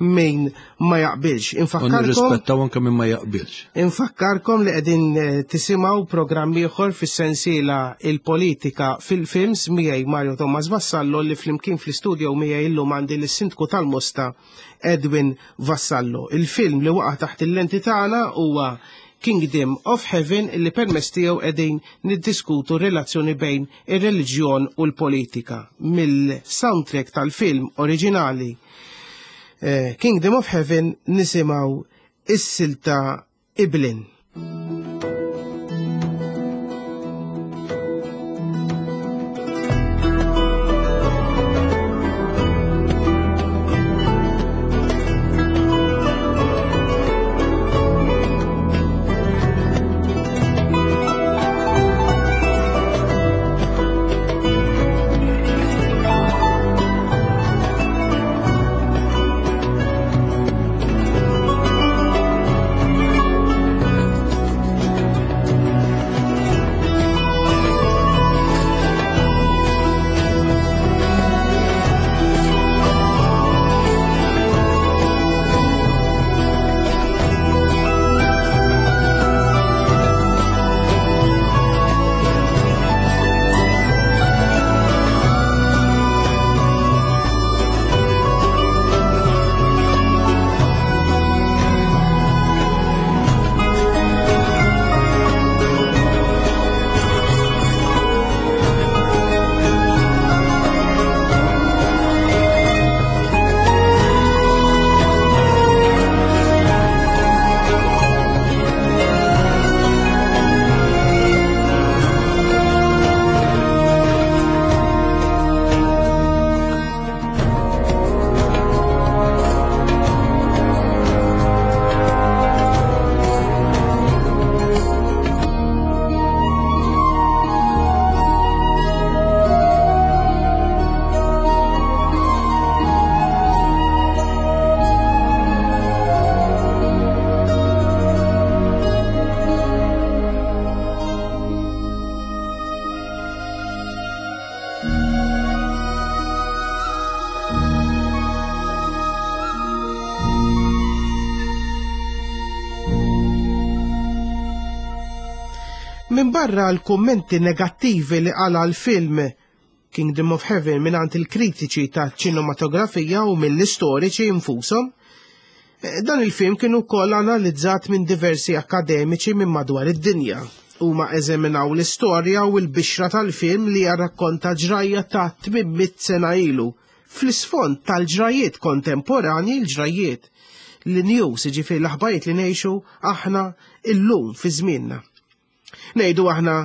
min ma jaqbilx. Infakkarkom. Nirrispettaw anke min ma jaqbilx. Infakkarkom li qegħdin eh, tisimgħu programm ieħor fis-sensiela il-politika fil-films miegħi Mario Thomas Vassallo li flimkien fl-istudio miegħi illum għandi lis-Sindku tal-Mosta Edwin Vassallo. Il-film li waqa' taħt il-lenti tagħna huwa Kingdom of Heaven li permezz tiegħu qegħdin niddiskutu r-relazzjoni bejn ir-reliġjon u l-politika. Mill-soundtrack tal-film oriġinali eh, Kingdom of Heaven nisimgħu is-silta Iblin. Minbarra l-kummenti negattivi li qala l-film Kingdom of Heaven mingħand il-kritiċi ta' ċinematografija u mill-istoriċi infushom, eh, dan il-film kien ukoll analizzat minn diversi akademiċi minn madwar id-dinja. Huma eżaminaw l-istorja u l-bixra tal-film li jarrakkonta ġrajja ta' 800 sena ilu fl-isfond tal-ġrajiet kontemporanji l-ġrajiet li news, ġifieri l-aħbarijiet li ngħixu aħna illum fi żmienna. Ngħidu aħna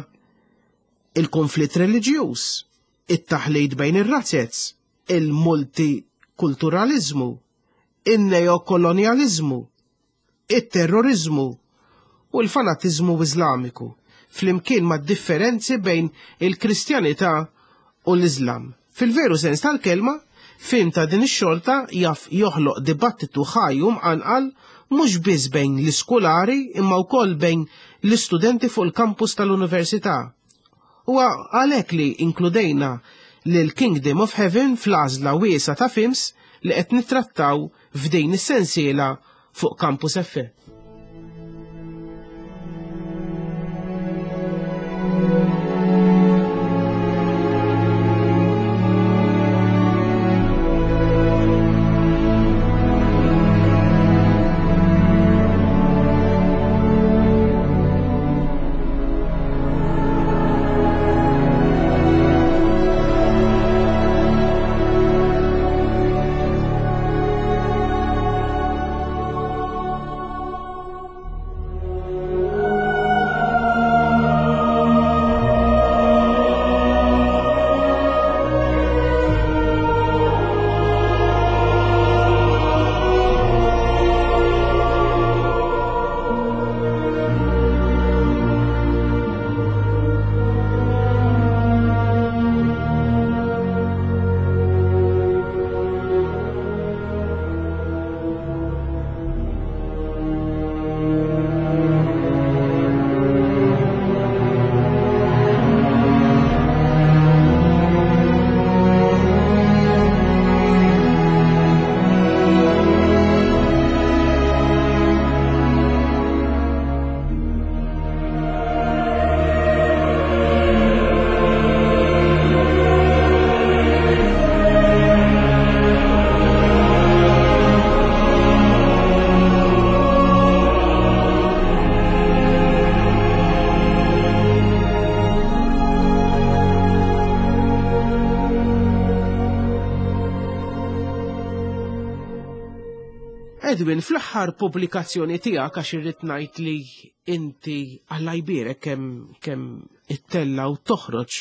il-konflitt reliġjuż, it-taħlit bejn ir-razzez, il-multikulturaliżmu, in-neokolonjaliżmu, it-terroriżmu u l-fanatiżmu Iżlamiku, flimkien mad-differenzi bejn il-Kristjanità u l-Iżlam. Fil-veru sens tal-kelma, film ta' din ix-xorta jaf joħloq dibattitu ħaj u mqanqal mhux biss bejn l-iskulari imma wkoll bejn l-istudenti fuq il-kampus tal-università. Huwa għalhekk li inkludejna lil Kingdom of Heaven fl-għażla wiesgħa ta' films li qed nittrattaw f'din is-sensiela fuq Campus FM. Edwin, fl-aħħar pubblikazzjoni tiegħek għax irrid ngħid li inti Alla jbierek kemm kemm ittella u toħroġ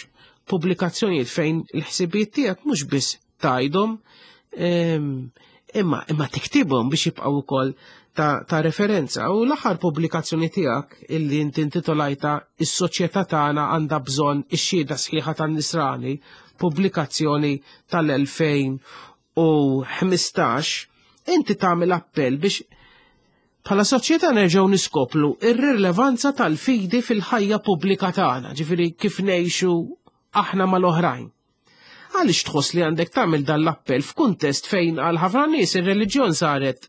pubblikazzjonijiet fejn il-ħsibijiet tiegħek mhux biss tgħidhom imma imma tiktibhom biex jibqgħu wkoll ta', ta referenza. U l-aħħar pubblikazzjoni tiegħek illi inti intitolajta Is-soċjetà tagħna għandha bżonn ix-xhieda sħiħa tan-Nisrani, pubblikazzjoni tal-2000 u 15, inti tagħmel appell biex bħala soċjetà nerġgħu niskoplu ir-rilevanza tal-fidi fil-ħajja pubblika tagħna, ġifieri kif ngħixu aħna mal-oħrajn. Għaliex tħoss li għandek tagħmel dan l-appell f'kuntest fejn għal ħafna nies ir-reliġjon saret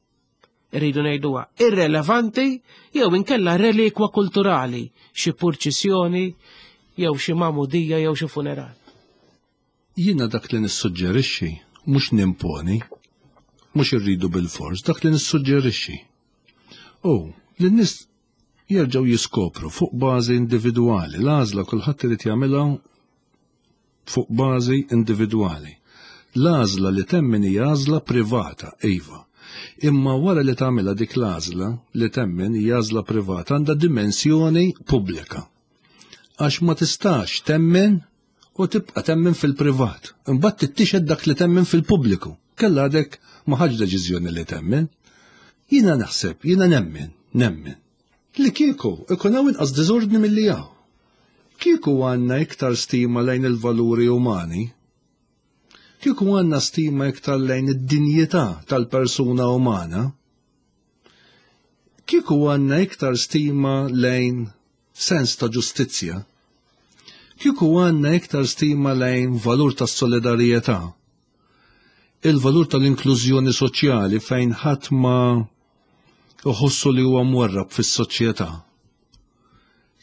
irridu ngħiduha irrelevanti jew inkella relikwa kulturali, xi purċissjoni jew xi magħmudija jew xi funeral. Jiena dak li nissuġġerixxi mhux nimponi, mhux irridu bilfors, dak li nissuġġerixxi hu li n-nies jerġgħu jiskopru fuq bażi individwali, l-għażla kulħadd irid jagħmilha fuq bażi individwali. L-għażla li temmen hija għażla privata, iva. Imma wara li tagħmilha dik l-għażla li temmen hija għażla privata għandha dimensjoni pubblika. Għax ma tistax temmen u tibqa' temmen fil-privat. Imbagħad tittixed dak li temmen fil-pubbliku. Kella għadek ma ħadx deċiżjoni li temmen. Jiena naħseb, jiena nemmen, nemmen. Li kieku ikun hawn inqas diżordni milli hawn. Kieku għandna iktar stima lejn il-valuri umani, kieku għandna stima iktar lejn id-dinjità tal-persuna umana, kieku għandna iktar stima lejn sens ta' ġustizzja, kieku għandna iktar stima lejn valur ta' solidarjetà, il-valur tal-inklużjoni soċjali fejn ħadd ma iħossu li huwa mwarrab fis-soċjetà.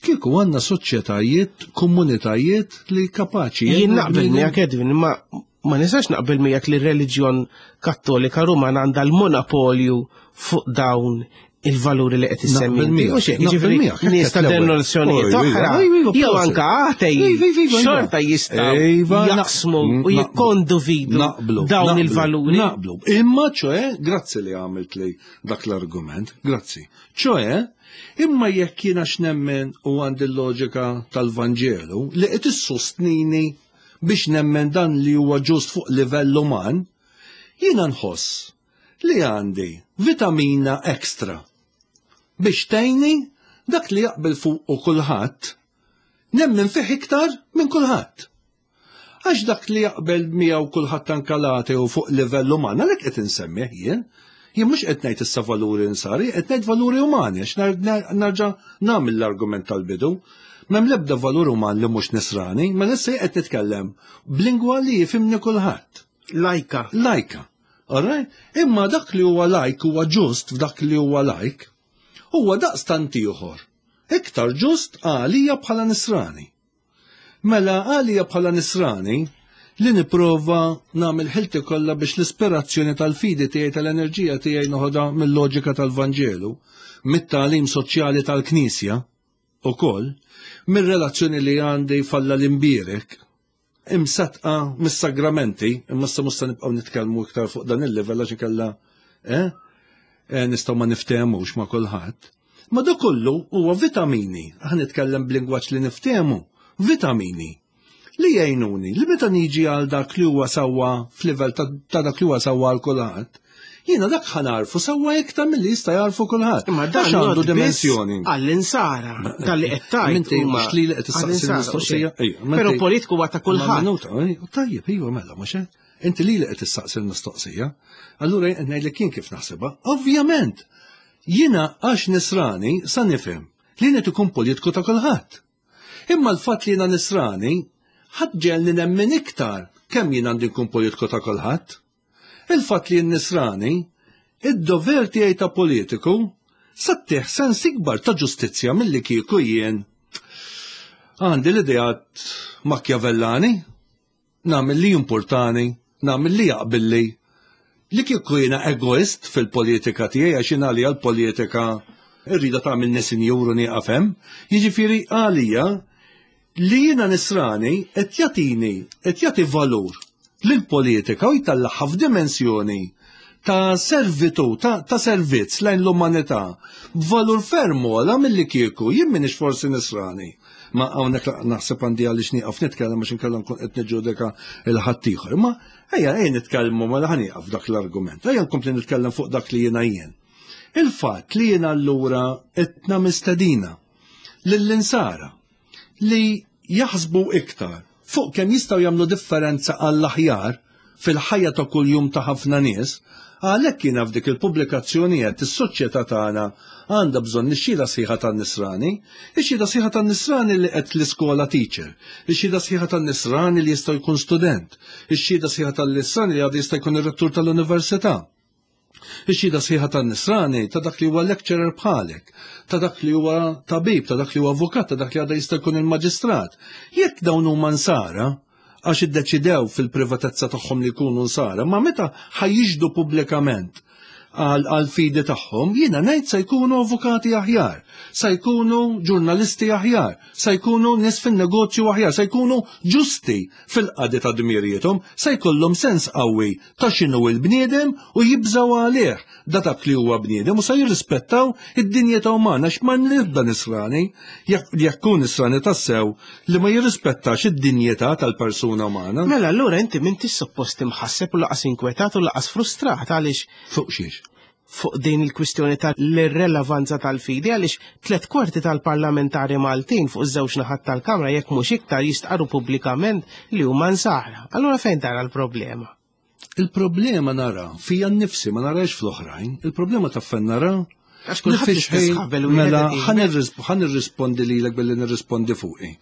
Kieku għandna soċjetajiet, komunitajiet li kapaċi. Jien naqbel miegħek Edwin, ma ma nistax naqbel miegħek li r-reliġjon Kattolika Rumana għandha l-monopolju fuq dawn il-valuri li qed issemmi. Jiġifieri nies ta' denominazzjonijiet oħra jew anke atej xorta jistgħu jaqsmu u jikkondividu dawn il-valuri. Naqblu. Imma ċoe, grazzi li għamilt li dak l-argument, grazzi. Ċoe, imma jekk jiena x'nemmen u għandi l-loġika tal-Vanġelu li qed issostnini biex nemmen dan li huwa ġust fuq livell uman, jiena nħoss li għandi vitamina extra biex tgħinni dak li jaqbel fuqu kulħadd nemmen fih iktar minn kulħadd. Għax dak li jaqbel miegħu kulħadd anke l-ateu fuq livell uman, għalhekk qed insemmih jien. Jien mhux qed ngħid issa valuri insari, qed ngħid valuri umani, għax narġa' nagħmel l-argument tal-bidu. M'hemm l-ebda valur uman li mhux nisrani, mela issa qed nitkellem b'lingwa li jifhimni kulħadd. Lajka. Lajka. Alright? Imma dak li huwa lajk huwa ġust f'dak li huwa lajk, huwa daqstant ieħor. Iktar ġust għalija bħala nisrani. Mela għalija bħala nisrani li nipprova nagħmel ħilti kollha biex l-ispirazzjoni tal-fidi tiegħi tal-enerġija tiegħi noħodha mill-loġika tal-Vanġelu, mit-tagħlim soċjali tal-Knisja ukoll, mir-relazzjoni li għandi falla l-imbierek, imsaddqa mis-sagramenti, imma issa mhux se nibqgħu nitkellmu iktar fuq dan il-livell għax inkella eh, eh, nistgħu ma niftehmux ma' kulħadd. Ma dak kollu huwa vitamini, aħna nitkellem b'lingwaġġ li niftehmu, vitamini li jgħinuni li meta niġi għal dak li huwa sewwa f'livell ta' dak li huwa sewwa għal kulħadd, Jiena dak ħa nagħrfu sewwa iktar milli jista' jagħrfu kulħadd. Imma dan għandu dimensjoni. Għall-insara, dan li qed tgħid. Inti mhux li qed issaqsi l-mistoqsija. Però politiku huwa ta' kulħadd. Minuta, tajjeb, iva mela mhux hekk. Inti li qed issaqsi l-mistoqsija. Allura jien qed ngħidlek jien kif naħsibha. Ovvjament, jiena għax nisrani sa nifhem li qed ikun politiku ta' kulħadd. Imma l-fatt li jiena nisrani ħadd ġelni nemmen iktar kemm jien għandi nkun politiku ta' kulħadd. Il-fatt li jien nisrani, id-dover tiegħi ta' politiku sa ttih sens ikbar ta' ġustizzja milli kieku jien għandi l-ideat Machiavellani, nagħmel li jimpurtani, nagħmel li jaqbilli. Li kieku jiena egoist fil-politika tiegħi għax jien għalija l-politika rrida tagħmilni sinjur u nieqaf hemm. Jiġifieri għalija Li jiena nisrani qed jagħtini, qed jagħti valur lill-politika u jtellagħha f'dimensjoni ta' servitù, ta', ta servizz lejn l-umanità, b'valur ferm ogħla milli kieku jien m'iniex forsi nisrani. Ma hawnhekk naħseb għandi għaliex nieqaf nitkellem għax inkella nkun qed niġġudika il ħaddieħor. Imma ejja ejja nitkellmu mela ħa nieqaf dak l-argument. Ejja nkompli nitkellem fuq dak li jiena jien. Il-fatt li jiena allura qed nagħmel stedina lill-insara li jaħsbu iktar fuq kemm jistgħu jagħmlu differenza għall-aħjar fil-ħajja ta' kuljum ta' ħafna nies, għalhekk jiena f'dik il-pubblikazzjoni għedt is-soċjetà tagħna għandha bżonn ix-xhieda sħiħa tan-nisrani, ix-xhieda sħiħa tan-nisrani li qed l-iskola teacher, ix-xhieda sħiħa tan-nisrani li jista' jkun student, ix-xhieda sħiħa tan-nisrani li għadu jista' jkun ir-rettur tal-università. Ix-xhieda sħiħa tan-nisrani ta' dak li huwa lecturer bħalek, ta' dak li huwa tabib, ta' dak li huwa avukat, ta' dak li għadha jista' jkun il-maġistrat. Jekk dawn huma nsara, għax iddeċidew fil-privatezza tagħhom li jkunu nsara, ma meta ħajjixdu pubblikament għal fidi tagħhom, jiena ngħid se jkunu avukati aħjar, se jkunu ġurnalisti aħjar, se jkunu nies fin-negozju aħjar, se jkunu ġusti fil-qadi ta' dmirijiethom, se jkollhom sens qawwi ta' x'inhu l-bniedem u jibżgħu għalih da dak li huwa bniedem u se jirrispettaw id-dinjità umana għax ma l-ebda nisrani jekk hu nisrani tassew li ma jirrispettax id-dinjità tal-persuna umana. Mela allura inti m'intix suppost imħasseb u laqas inkwetat u laqas frustrat għaliex Fuq xiex? fuq din il-kwistjoni tal-irrelevanza tal-fidi għaliex 3/4 tal-parlamentari Maltin fuq iż-żewġ naħat tal-Kamra jekk mhux iktar jistqarru pubblikament li huma nsara. Allura fejn tara l-problema? Il-problema nara fija nnifsi ma narax fl-oħrajn, il-problema ta' fejn nara Għax kulħadd l-istess ħabel u Mela, ħa nirrispondi lilek billi nirrispondi fuqi.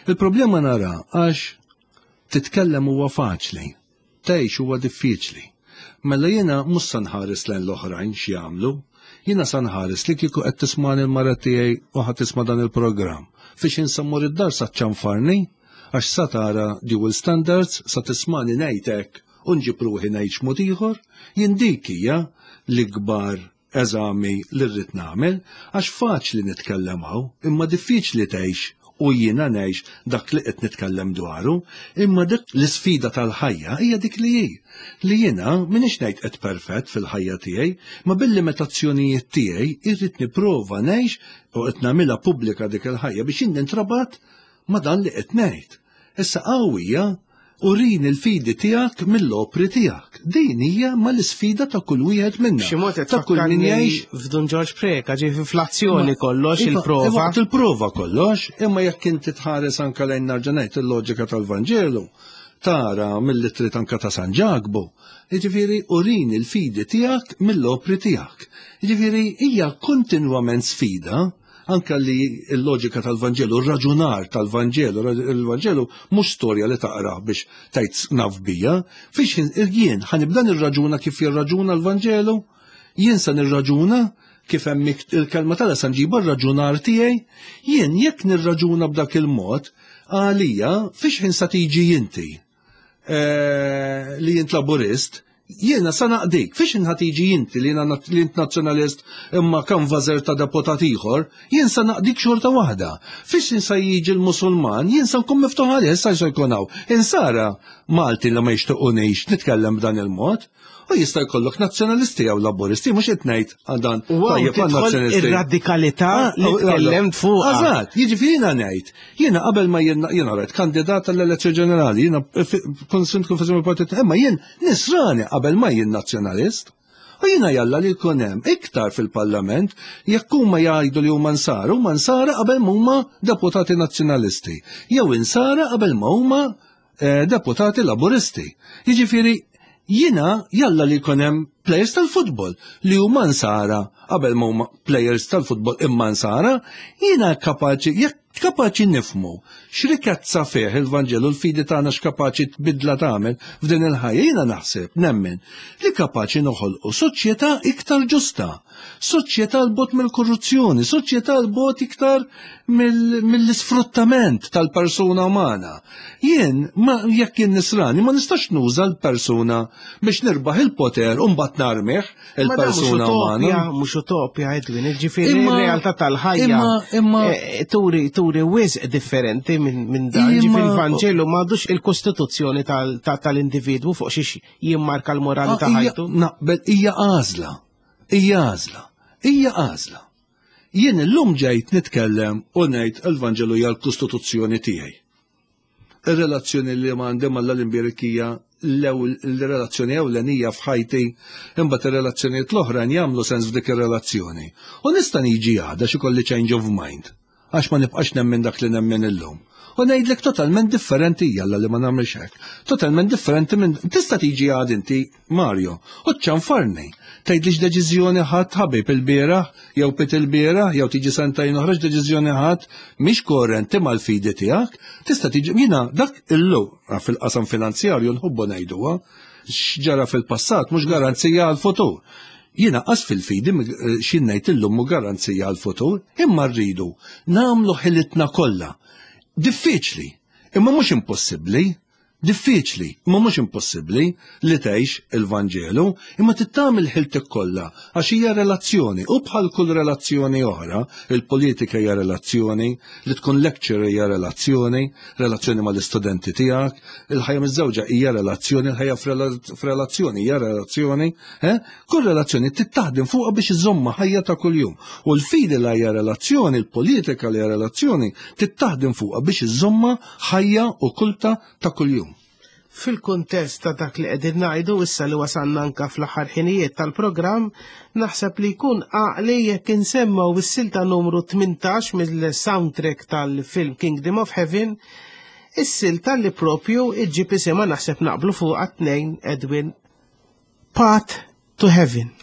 Il-problema nara għax titkellem huwa faċli, tgħix huwa diffiċli. Mela jiena mhux se nħares lejn l-oħrajn x'jagħmlu. Jiena sa nħares li kieku qed tismani l-mara tiegħi u ħa tisma' dan il-programm. Fiex insammur id-dar sa ċanfarni, għax sa tara dual standards, sa tismani ngħid hekk u nġib ruħi ngħid x'mod ieħor, jien dik hija l-ikbar eżami li rrid nagħmel, għax faċli nitkellem hawn, imma diffiċli tgħix u jiena ngħix dak li qed nitkellem dwaru, imma dik l-isfida tal-ħajja hija dik li hi. Li jiena m'iniex ngħid qed perfett fil-ħajja tiegħi, ma bil-limitazzjonijiet tiegħi irrid nipprova ngħix u qed nagħmilha pubblika dik il-ħajja biex jien nintrabat ma' dan li qed ngħid. Issa qawwija urini l-fidi tiegħek mill-opri tiegħek. Din hija ma l-isfida ta' kull wieħed minna. B'xi mod qed ta' kull min jgħix f'Dun Ġorġ Preka, ġifi fl-azzjoni kollox iva, il-prova. Waqt il-prova kollox, imma jekk inti tħares anke lejn narġa' ngħid il-loġika tal-Vanġelu, tara mill-ittri anka ta' San Ġakbu, jiġifieri urini l-fidi tiegħek mill-opri tiegħek. Jiġifieri hija kontinwament sfida Anke li l-loġika tal-Vanġelu, r-raġunar tal-Vanġelu, il-Vanġelu mhux storja li taqra biex tgħid naf bija, fiex jien ħanibda nirraġuna kif jirraġuna l-Vanġelu, jien sa nirraġuna kif hemm il-kelma tagħna sa nġiba r-raġunar tiegħi, jien jekk nirraġuna b'dak il-mod, għalija fiex ħin sa tiġi inti. Eh, li jint laburist, jiena sa naqdik, fiex inħat iġi inti li jiena li int nazzjonalist imma kanvażer ta' deputat ieħor, jien sa naqdik xorta waħda. Fiex insa jiġi l-Musulman, jien sa nkun miftuħ għalih, issa se jkun hawn. Insara Malti li ma jixtiequnix nitkellem b'dan il-mod. U jista' jkollok nazzjonalisti jew laburisti, mhux qed ngħid għal dan tajjeb għal nazzjonalisti. Ir-radikalità ah, li oh, tkellemt fuq. Eżatt, jiġifieri jiena ngħid, jiena qabel ma jiena rajt kandidat għall-elezzjoni ġenerali, jiena kont sindku f'isem il-partit, imma jien nisrani qabel ma jien nazzjonalist. U jiena jalla li jkun hemm iktar fil-Parlament jekk huma jgħidu li huma nsara, huma nsara qabel ma huma deputati nazzjonalisti, jew insara qabel ma huma Eh, deputati laburisti. Jiġifieri jiena jalla li jkun hemm players tal-futbol li huma nsara qabel ma huma players tal-futbol imma nsara, jiena kapaċi jekk kapaċi nifmu x'rikezza fih il-Vanġelu l-fidi tagħna x'kapaċi tbidla tagħmel f'din il-ħajja jiena naħseb nemmen li kapaċi noħolqu soċjetà iktar ġusta. Soċjetà 'l bogħod mill-korruzzjoni, soċjetà 'l bogħod iktar mill-isfruttament tal-persuna umana. Jien, ma jekk jien nisrani, ma nistax nuża l-persuna biex nirbaħ il-poter u mbagħad narmih il-persuna umana. Mhux utopja, Edwin, ġifieri r-realtà tal-ħajja. Imma eh, turi turi wisq differenti minn dan. Ġifieri il-Vanġelu m'għadux il-kostituzzjoni tal-individwu fuq xiex jimmarka l-morali ah, ta' ħajtu. Naqbel hija għażla. Hija għażla. Hija għażla. Jien illum ġejt nitkellem u ngħid il-Vanġelu hija l-Kostituzzjoni tiegħi. Ir-relazzjoni li għandi mal l-imbierek hija l-relazzjoni ewlenija f'ħajti, imbagħad ir-relazzjonijiet l-oħrajn jagħmlu sens f'dik ir-relazzjoni. U nista' niġi għada xi kolli change of mind. Għax ma nibqax nemmen dak li nemmen illum. U ngħidlek totalment differenti jalla li ma nagħmilx hekk. Totalment differenti minn tista' tiġi għad inti Mario u ċanfarni. Tgħidli x'deċiżjoni ħadd ħabib il-bieraħ jew pit il-bieraħ jew tiġi sentajn oħra x'deċiżjoni ħadd mhix koerenti mal-fidi tiegħek. Tista' tiġi jiena dak illu fil-qasam finanzjarju nħobbu ngħiduha x'ġara fil-passat mhux garanzija għall-futur. Jiena qas fil-fidi eh, xi ngħid illum mhu garanzija għall-futur, imma rridu nagħmlu ħilitna kollha. Diffiċli, imma mhux impossibbli. Diffiċli, imma mhux impossibbli li tgħix il-Vanġelu, imma tittamil ħiltek kollha għax hija relazzjoni u bħal kull relazzjoni oħra, il-politika hija relazzjoni, li tkun lecturer hija relazzjoni, relazzjoni mal-istudenti tiegħek, il-ħajja miż-żewġa hija relazzjoni, il-ħajja f'relazzjoni hija relazzjoni, Eh? Kull relazzjoni tittaħdem fuqha biex iżomma ħajja ta' kuljum. U l-fidi li hija relazzjoni, il-politika li hija relazzjoni, tittaħdem fuqha biex iżomma ħajja u kulta ta' kuljum. Fil-kuntest ta' dak li qegħdin ngħidu issa li wasalna anka fl-aħħar ħinijiet tal-programm, naħseb li jkun għaqli jekk insemmaw is-silta numru 18 mill-soundtrack tal-film Kingdom of Heaven, is-silta li propju iġġib isimha naħseb naqblu fuqha tnejn Edwin Path to Heaven.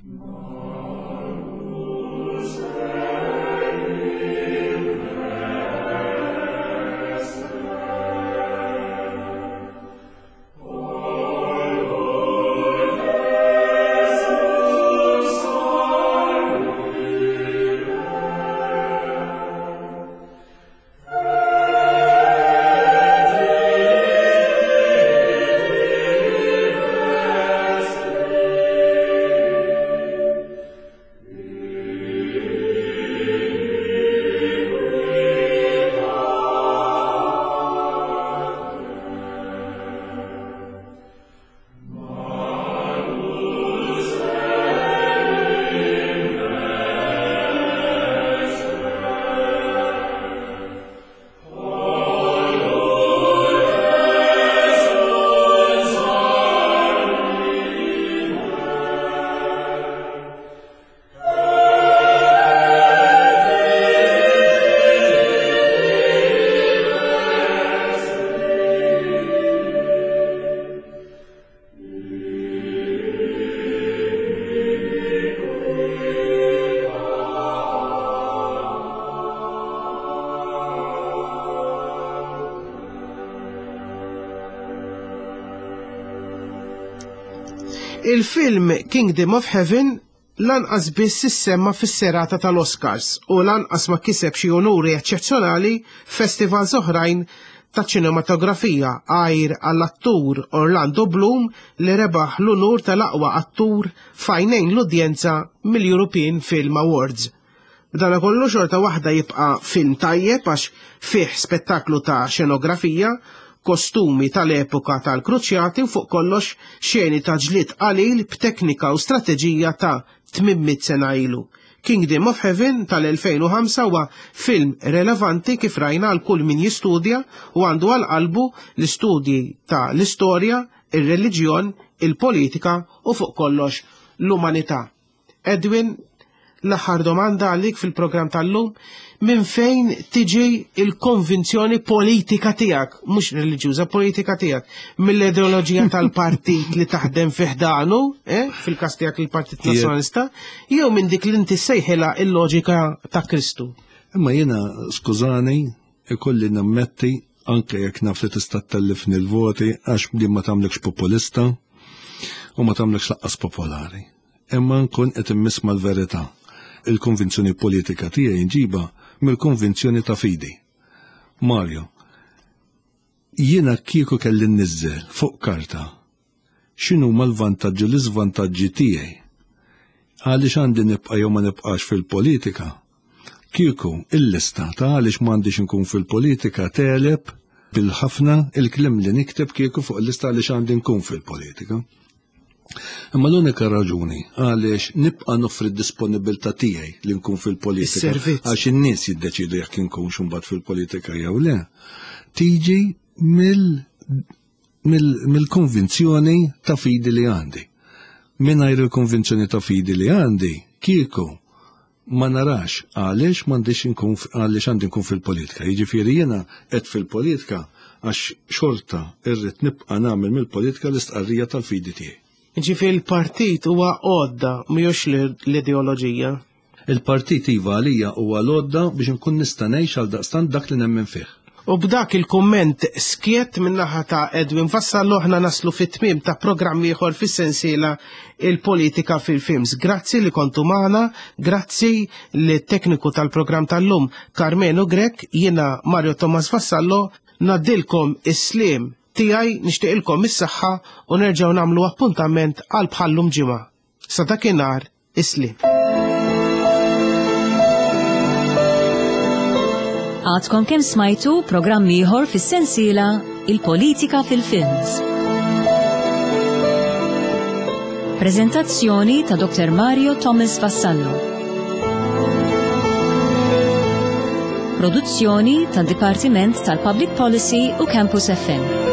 Il-film Kingdom of Heaven lanqas biss issemma fis-serata tal-Oscars u lanqas ma kiseb xi unuri eċċezzjonali f'festivals oħrajn ta' ċinematografija għajr għall-attur Orlando Bloom li rebaħ l-unur tal-aqwa attur f'għajnejn l-udjenza mill-European Film Awards. B'dana kollu xorta waħda jibqa' film tajjeb għax fih spettaklu ta' xenografija, kostumi tal-epoka tal-kruċjati u fuq kollox xeni ta' ġlied qalil b'teknika u strateġija ta' 800 sena ilu. Kingdom of Heaven tal-2005 huwa film relevanti kif rajna għal kull min jistudja u għandu għal qalbu l-istudji ta' l-istorja, ir-reliġjon, il-politika u fuq kollox l-umanità. Edwin, l-aħħar domanda għalik fil-programm tal-lum, minn fejn tiġi il-konvinzjoni politika tiegħek, mhux reliġjuża, politika tiegħek, mill-ideoloġija tal-partit li taħdem fi ħdanu, eh, fil-każ tiegħek il-Partit Nazzjonalista, jew minn dik li inti sejħilha il-loġika ta' Kristu. Imma jiena, skużani, ikolli nammetti anke jekk naf li tista' tellifni l-voti għax din ma tagħmlekx populista u ma tagħmlekx laqqas popolari. Imma nkun qed immiss mal-verità. Il-konvinzjoni politika tiegħi nġiba mill-konvinzjoni ta' fidi. Mario, jiena kieku kelli nniżżel fuq karta x'inhuma l-vantaġġi u l-iżvantaġġi tiegħi għaliex għandi nibqa' jew ma nibqax fil-politika, kieku il-lista ta' għaliex m'għandix inkun fil-politika tegħleb bil-ħafna il-kliem li nikteb kieku fuq il-lista għaliex għandi nkun fil-politika. Imma l-unika raġuni għaliex nibqa' noffri d-disponibilità tiegħi li nkun fil-politika għax in-nies jiddeċidu jekk inkunx imbagħad fil-politika jew le, tiġi mill-konvinzjoni ta' fidi li għandi. Mingħajr il-konvinzjoni ta' fidi li għandi, kieku ma narax għaliex m'għandix inkun għaliex għandi nkun fil-politika. Jiġifieri jiena qed fil-politika għax xorta irrid nibqa' nagħmel mill-politika l-istqarrija tal-fidi tiegħi. Jiġifieri l-partit huwa għodda mhijiex l-ideoloġija. Il-partit iva għalija huwa l-għodda biex inkun nista' ngħix għaldaqstant dak li nemmen fih. U b'dak il-kumment skjett min-naħa ta' Edwin Vassallo aħna naslu fit-tmiem ta' programm ieħor fis-sensiela Il-Politika fil-Films. Grazzi li kontu magħna, grazzi lit-tekniku tal-programm tal-lum Karmenu Grech, jiena Mario Thomas Vassallo, ngħaddilkom is-sliem tiegħi, nixtieqilkom is-saħħa u nerġgħu nagħmlu appuntament għal bħal-lum ġimgħa. Sa dakinhar, Is-sliem. Għadkom kemm smajtu programm ieħor fis-sensiela Il-Politika fil-Films. Prezentazzjoni ta' Dr. Mario Thomas Vassallo. Produzzjoni tad Dipartiment tal-Public Policy u Campus FM.